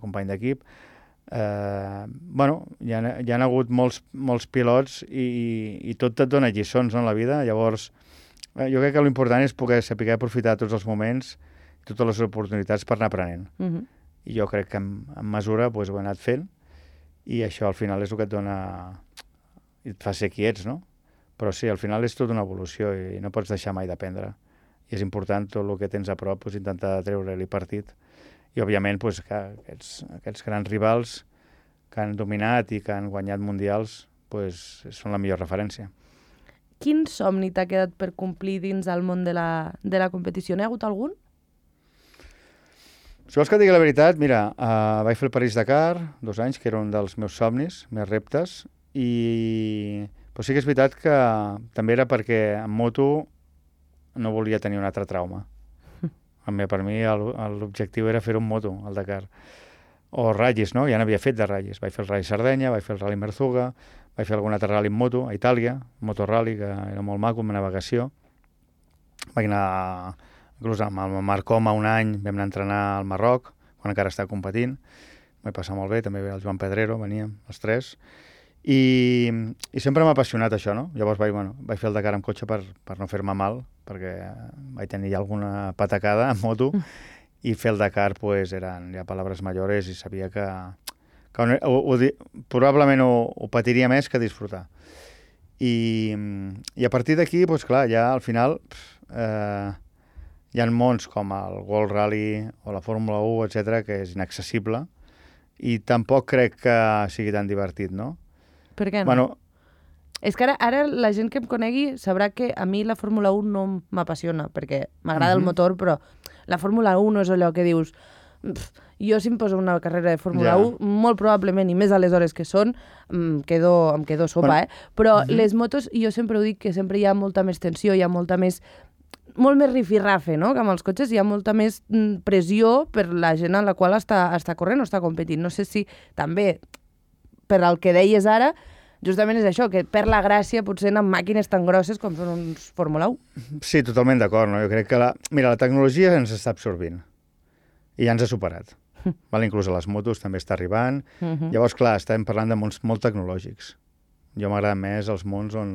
company d'equip. Bueno, hi ha hagut molts pilots i tot et dona lliçons en la vida. Llavors, jo crec que l'important és poder saber aprofitar tots els moments, totes les oportunitats per anar aprenent. I jo crec que en mesura ho he anat fent, i això al final és el que et dona, i et fa ser qui ets, no? Però sí, al final és tota una evolució i no pots deixar mai d'aprendre. I és important tot el que tens a prop, intentar treure-li partit. I, òbviament, que aquests grans rivals que han dominat i que han guanyat mundials són la millor referència. Quin somni t'ha quedat per complir dins el món de la competició? N'hi ha hagut algun? Si vols que et digui la veritat, mira, vaig fer el París-Dakar 2 anys, que era un dels meus somnis, més reptes, però sí que és veritat que també era perquè en moto no volia tenir un altre trauma. Per mi l'objectiu era fer un moto, al Dakar. O ratllis, no? Ja n'havia fet de ratllis. Vaig fer el Rally Sardenya, vaig fer el Rally Merzuga, vaig fer algun altre rally en moto a Itàlia, motorrally, que era molt maco, amb navegació. Vaig anar, inclús amb el Marc Coma un any, vam anar a entrenar al Marroc, quan encara estava competint. M'he passat molt bé, també el Joan Pedrero, veníem els tres. I sempre m'ha apassionat això, no? Llavors vaig fer el Dakar amb cotxe per no fer-me mal, perquè vaig tenir ja alguna patacada en moto, i fer el Dakar eren ja paraules mayores i sabia que probablement ho patiria més que disfrutar. I a partir d'aquí, clar, ja al final hi ha mons com el World Rally o la Fórmula 1, etc., que és inaccessible, i tampoc crec que sigui tan divertit, no? Per què no? És que ara la gent que em conegui sabrà que a mi la Fórmula 1 no m'apassiona, perquè m'agrada el motor, però la Fórmula 1 no és allò que dius jo si em poso una carrera de Fórmula 1, molt probablement, i més a les hores que són, em quedo sopa, però les motos, jo sempre ho dic, que sempre hi ha molta més tensió, hi ha molt més rifirrafe, no? Que amb els cotxes hi ha molta més pressió per la gent en la qual està corrent o està competint. No sé si també, per al que deies ara, justament és això, que perd la gràcia potser en màquines tan grosses com són uns Fórmula 1. Sí, totalment d'acord, no? Jo crec que la tecnologia ens està absorbint i ja ens ha superat. Inclús a les motos també està arribant. Llavors, clar, estem parlant de mons molt tecnològics. Jo m'agrada més els mons on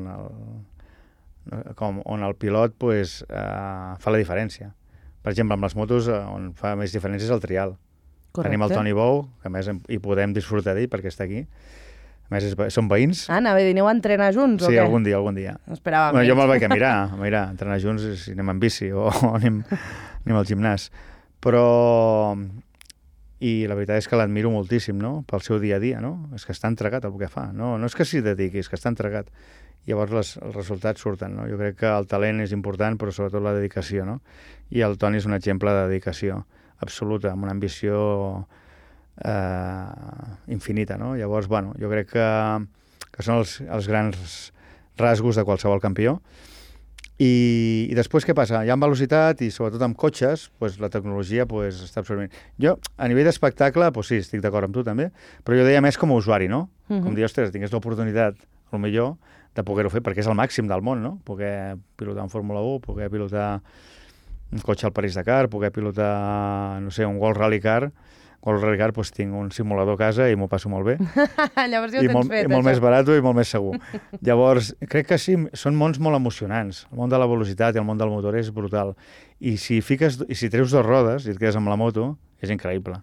el pilot fa la diferència. Per exemple, amb les motos on fa més diferència és el trial. Tenim el Toni Bou, que a més hi podem disfrutar d'ell perquè està aquí. A més, són veïns. Anava a dir, aneu a entrenar junts o què? Sí, algun dia. Esperava menys. Jo me'l vaig a mirar, entrenar junts si anem en bici o anem al gimnàs. Però i la veritat és que l'admiro moltíssim, no?, pel seu dia a dia, no? És que està entregat al que fa, no és que s'hi dediqui, és que està entregat. Llavors els resultats surten, no? Jo crec que el talent és important, però sobretot la dedicació, no? I el Toni és un exemple de dedicació absoluta, amb una ambició infinita, no? Llavors, bueno, jo crec que són els grans rasgos de qualsevol campió. I després què passa? Ja amb velocitat i sobretot amb cotxes, pues, la tecnologia pues, està absorbint. Jo, a nivell d'espectacle, pues, sí, estic d'acord amb tu també, però jo deia més com a usuari, no? Com dir, ostres, tingués l'oportunitat, millor de poder-ho fer, perquè és el màxim del món, no? Poder pilotar un Fórmula 1, poder pilotar un cotxe al París-Dakar, poder pilotar, no sé, un World Rally Car. World Rally Car, doncs tinc un simulador a casa i m'ho passo molt bé. Llavors ja ho tens fet, I molt més barat i molt més segur. Llavors, crec que sí, són mons molt emocionants. El món de la velocitat i el món del motor és brutal. I si treus 2 rodes i et quedes amb la moto, és increïble.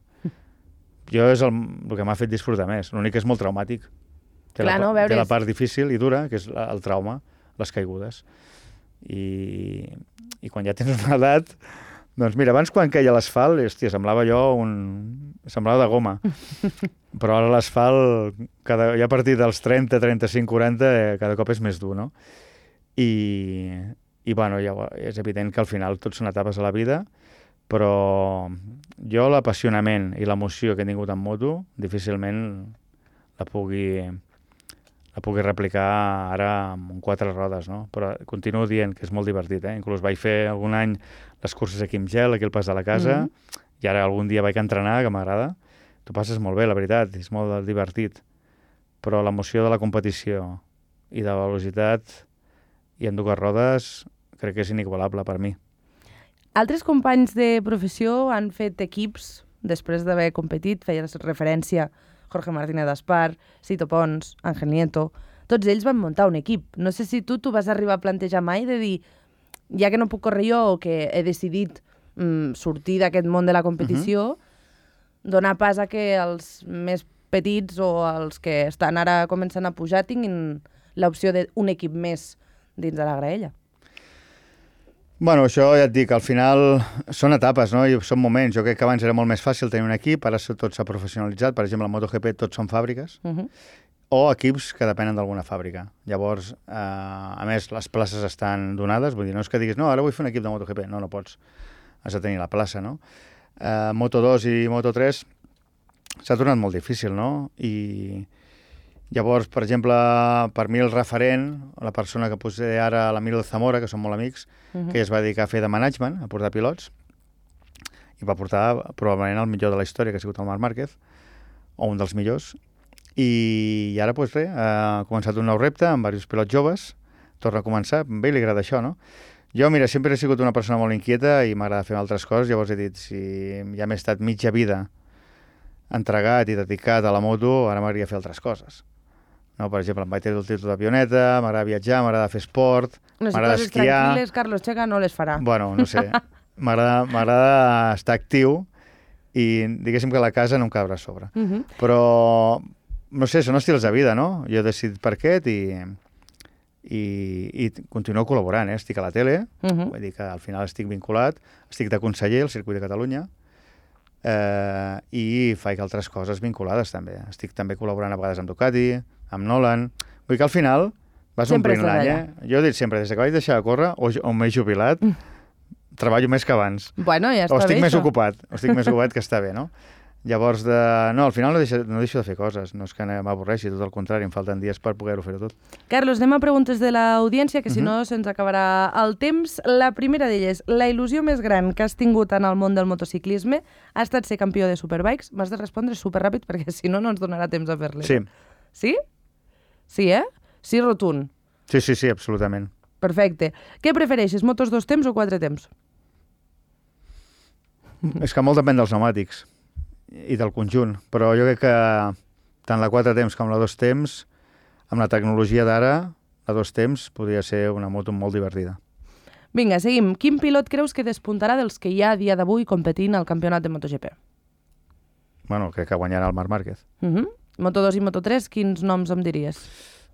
Jo és el que m'ha fet disfrutar més. L'únic que és molt traumàtic. Té la part difícil i dura, que és el trauma, les caigudes. I quan ja tens una edat... Doncs mira, abans quan queia l'asfalt, hòstia, semblava de goma. Però ara l'asfalt, ja a partir dels 30, 35, 40, cada cop és més dur, no? I bueno, ja és evident que al final tot són etapes a la vida, però jo l'apassionament i l'emoció que he tingut en moto difícilment la pugui replicar ara amb 4 rodes, no? Però continuo dient que és molt divertit, eh? Inclús vaig fer algun any les curses aquí amb gel, aquí al Pas de la Casa, i ara algun dia vaig entrenar, que m'agrada. T'ho passes molt bé, la veritat, és molt divertit. Però l'emoció de la competició i de la velocitat i en 2 rodes crec que és inigualable per mi. Altres companys de professió han fet equips després d'haver competit, feies referència Jorge Martínez d'Aspar, Sito Pons, Ángel Nieto, tots ells van muntar un equip. No sé si tu vas arribar a plantejar mai de dir, ja que no puc córrer jo o que he decidit sortir d'aquest món de la competició, donar pas a que els més petits o els que estan ara començant a pujar tinguin l'opció d'un equip més dins de la graella. Bueno, això ja et dic, al final són etapes, no? I són moments. Jo crec que abans era molt més fàcil tenir un equip, ara tot s'ha professionalitzat. Per exemple, a MotoGP tots són fàbriques, o equips que depenen d'alguna fàbrica. Llavors, a més, les places estan donades, vull dir, no és que diguis, no, ara vull fer un equip de MotoGP. No, no pots. Has de tenir la plaça, no? Moto2 i Moto3 s'ha tornat molt difícil, no? I llavors, per exemple, per mi el referent, la persona que posé ara, l'Emilio Zamora, que són molt amics, que es va dedicar a fer de management, a portar pilots, i va portar probablement el millor de la història, que ha sigut el Marc Márquez, o un dels millors, i ara, doncs res, ha començat un nou repte amb diversos pilots joves, torna a començar, a ell li agrada això, no? Jo, mira, sempre he sigut una persona molt inquieta i m'agrada fer altres coses, llavors he dit, si ja m'he estat mitja vida entregat i dedicat a la moto, ara m'agradaria fer altres coses. No, per exemple, em vaig treure el títol d'avioneta, m'agrada viatjar, m'agrada fer esport, m'agrada esquiar... No, si coses tranquil·les, Carlos Checa no les farà. Bueno, no sé, m'agrada estar actiu i diguéssim que la casa no em cabrà a sobre. Però, no sé, són estils de vida, no? Jo he decidit per aquest i continuo col·laborant, estic a la tele, vull dir que al final estic vinculat, estic de conseller al Circuit de Catalunya, i faig altres coses vinculades també. Estic també col·laborant a vegades amb Ducati, amb Nolan. Vull dir que al final vas omplint l'any, Jo he dit sempre, des que vaig deixar de córrer, o m'he jubilat, treballo més que abans. Bueno, ja està bé, estic més ocupat, que està bé, no? Llavors, no, al final no deixo de fer coses, no és que m'avorreixi, tot el contrari, em falten dies per poder-ho fer tot. Carlos, anem a preguntes de l'audiència, que si no se'ns acabarà el temps. La primera d'elles, la il·lusió més gran que has tingut en el món del motociclisme ha estat ser campió de Superbikes? M'has de respondre superràpid perquè si no, no ens donarà temps a fer-li. Sí. Sí? Sí, Sí, rotund. Sí, absolutament. Perfecte. Què prefereixes, motos 2 temps o 4 temps? És que molt depèn dels pneumàtics i del conjunt, però jo crec que tant la 4 temps com la 2 temps, amb la tecnologia d'ara, la 2 temps podria ser una moto molt divertida. Vinga, seguim. Quin pilot creus que despuntarà dels que hi ha a dia d'avui competint al campionat de MotoGP? Bueno, crec que guanyarà el Marc Márquez. Moto2 i Moto3, quins noms em diries?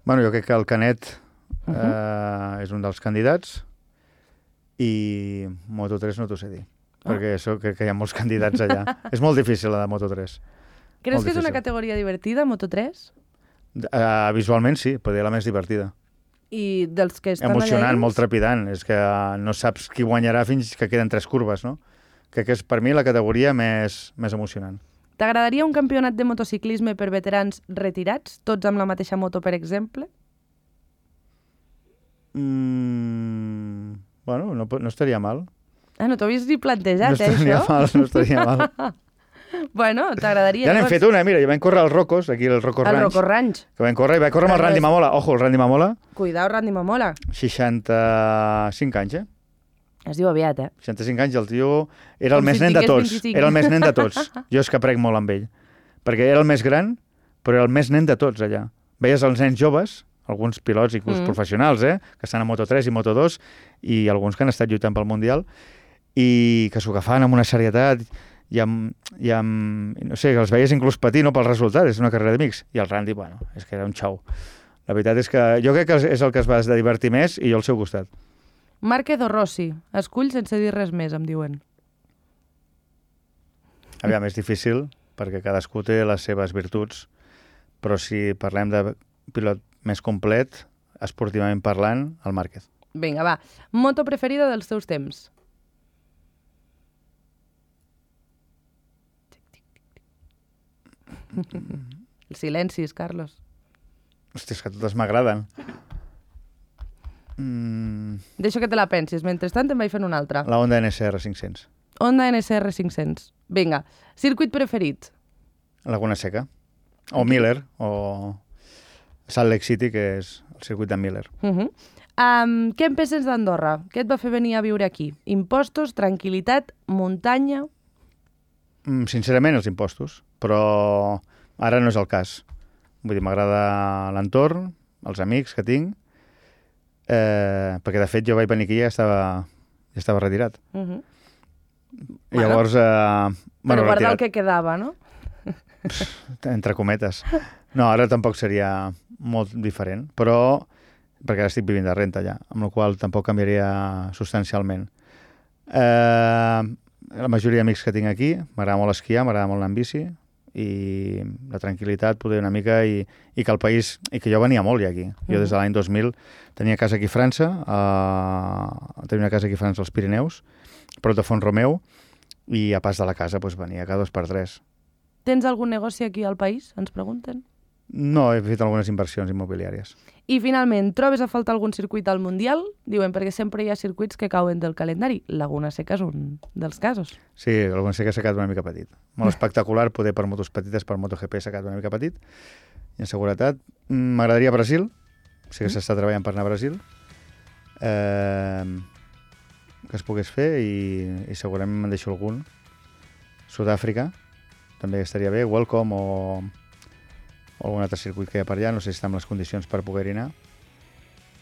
Bueno, jo crec que el Canet és un dels candidats i Moto3 no t'ho sé dir. perquè crec que hi ha molts candidats allà. És molt difícil, la de Moto3. Creus que és una categoria divertida, Moto3? Visualment sí, però és la més divertida. I dels que estan emocionant, allà molt trepidant. És que no saps qui guanyarà fins que queden 3 curves, no? Crec que és per mi la categoria més emocionant. T'agradaria un campionat de motociclisme per veterans retirats, tots amb la mateixa moto, per exemple? Bueno, no estaria mal. No t'ho havies ni plantejat, No estaria mal. Bueno, t'agradaria... Ja n'hem fet una, mira, ja vam córrer al Rocos, aquí al Rocos Ranch. Al Rocos Ranch. Que vam córrer, i vaig córrer amb el Randy Mamola. Ojo, el Randy Mamola. Cuidao, Randy Mamola. 65 anys, Es diu aviat, 65 anys, el tio era el més nen de tots. 25. Era el més nen de tots. Jo és que aprec molt amb ell. Perquè era el més gran, però era el més nen de tots allà. Veies els nens joves, alguns pilots, inclús professionals, que estan a Moto3 i Moto2, i alguns que han estat lluitant pel Mundial, i que s'ho agafaven amb una serietat i no sé, que els veies inclús patir, no, pel resultat, és una carrera d'amics. I el Randy, bueno, és que era un xou. La veritat és que jo crec que és el que es va divertir més i jo al seu costat. Márquez o Rossi? Escull sense dir res més, em diuen. Aviam, és difícil, perquè cadascú té les seves virtuts, però si parlem de pilot més complet, esportivament parlant, el Márquez. Vinga, va. Moto preferida dels teus temps? Els silencis, Carlos. Hòstia, és que totes m'agraden. Deixo que te la pensis. Mentrestant te'n vaig fent una altra. La Honda NSR 500. Honda NSR 500. Vinga. Circuit preferit? Laguna Seca. O Miller, o Salt Lake City, que és el circuit de Miller. Què en penses d'Andorra? Què et va fer venir a viure aquí? Impostos, tranquil·litat, muntanya? Sincerament, els impostos. Però ara no és el cas. Vull dir, m'agrada l'entorn, els amics que tinc, perquè de fet jo vaig venir aquí i ja estava retirat. Llavors... Però guardar el que quedava, no? Entre cometes. No, ara tampoc seria molt diferent, però perquè ara estic vivint de renta ja, amb la qual tampoc canviaria substancialment. La majoria d'amics que tinc aquí, m'agrada molt esquiar, m'agrada molt anar en bici, i la tranquil·litat, poder una mica, i que el país... I que jo venia molt ja aquí. Jo des de l'any 2000 tenia casa aquí a França, tenia una casa aquí a França als Pirineus, prop de Font-romeu, i a pas de la casa venia cada 2 per 3. Tens algun negoci aquí al país? Ens pregunten. No, he fet algunes inversions immobiliàries. I finalment, trobes a faltar algun circuit al Mundial? Diuen, perquè sempre hi ha circuits que cauen del calendari. Laguna Seca és un dels casos. Sí, Laguna Seca s'ha quedat una mica petit. Molt espectacular, poder per motos petites, per MotoGP s'ha quedat una mica petit. I en seguretat, m'agradaria Brasil. Sí que s'està treballant per anar a Brasil. Que es pogués fer, i segurament me'n deixo algun. Sud-àfrica, també estaria bé. Welcome o algun altre circuit que hi ha per allà, no sé si està en les condicions per poder-hi anar.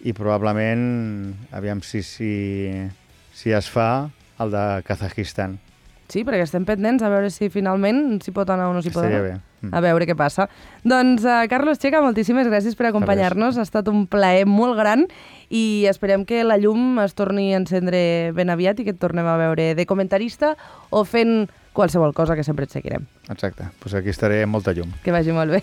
I probablement, aviam si es fa el de Kazajistan. Sí, perquè estem pendents a veure si finalment s'hi pot anar o no s'hi pot anar. Estaria bé. A veure què passa. Doncs, Carlos Checa, moltíssimes gràcies per acompanyar-nos. Ha estat un plaer molt gran i esperem que la llum es torni a encendre ben aviat i que et tornem a veure de comentarista o fent qualsevol cosa, que sempre et seguirem. Exacte. Doncs aquí estaré amb molta llum. Que vagi molt bé.